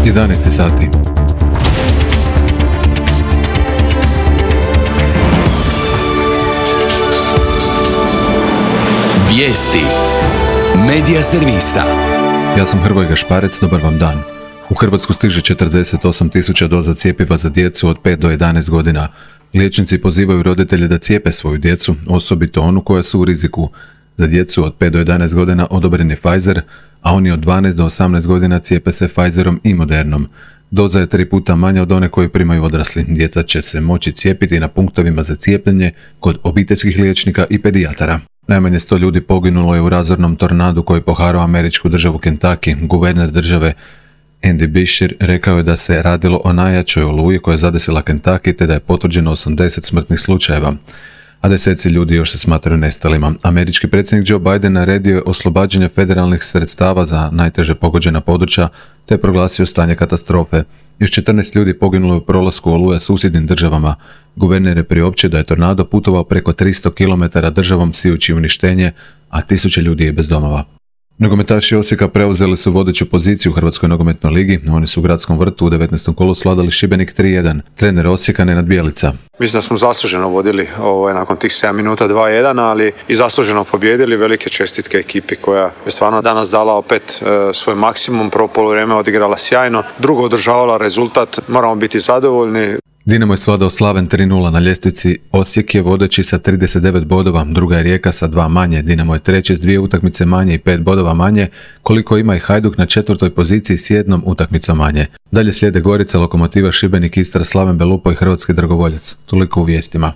11 sati. Vijesti Medija servisa. Ja sam Hrvoje Gašparec, dobar vam dan. U Hrvatsku stiže 48.000 doza cjepiva za djecu od 5 do 11 godina. Liječnici pozivaju roditelje da cijepe svoju djecu, osobito onu koja su u riziku. Za djecu od 5 do 11 godina odobren je Pfizer, a oni od 12 do 18 godina cijepe se Pfizerom i Modernom. Doza je 3 puta manja od one koju primaju odrasli. Djeca će se moći cijepiti na punktovima za cijepljenje kod obiteljskih liječnika i pedijatara. Najmanje 100 ljudi poginulo je u razornom tornadu koji poharao američku državu Kentucky. Guverner države Andy Beshear rekao je da se radilo o najjačoj oluji koja je zadesila Kentucky te da je potvrđeno 80 smrtnih slučajeva, a deseci ljudi još se smatraju nestalima. Američki predsjednik Joe Biden naredio je oslobađanje federalnih sredstava za najteže pogođena područja te je proglasio stanje katastrofe. Još 14 ljudi poginulo je u prolasku oluje susjednim državama. Guverner je priopćio da je tornado putovao preko 300 km državom sijući uništenje, a 1000 ljudi je bez domova. Nogometaši Osijeka preuzeli su vodeću poziciju u Hrvatskoj nogometnoj ligi. Oni su u Gradskom vrtu u 19. kolu svladali Šibenik 3-1. Trener Osijeka Nenad Bjelica. Mislim da smo zasluženo vodili nakon tih 7 minuta 2-1, ali i zasluženo pobjedili. Velike čestitke ekipi koja je stvarno danas dala opet svoj maksimum. Prvo poluvrijeme odigrala sjajno, drugo održavala rezultat. Moramo biti zadovoljni. Dinamo je svladao Slaven 3-0 na ljestvici. Osijek je vodeći sa 39 bodova, druga je Rijeka sa 2 manje. Dinamo je treći s 2 utakmice manje i 5 bodova manje, koliko ima i Hajduk na 4. poziciji s 1 utakmicom manje. Dalje slijede Gorica, Lokomotiva, Šibenik, Istra, Slaven Belupo i Hrvatski Dragovoljac. Toliko u vijestima.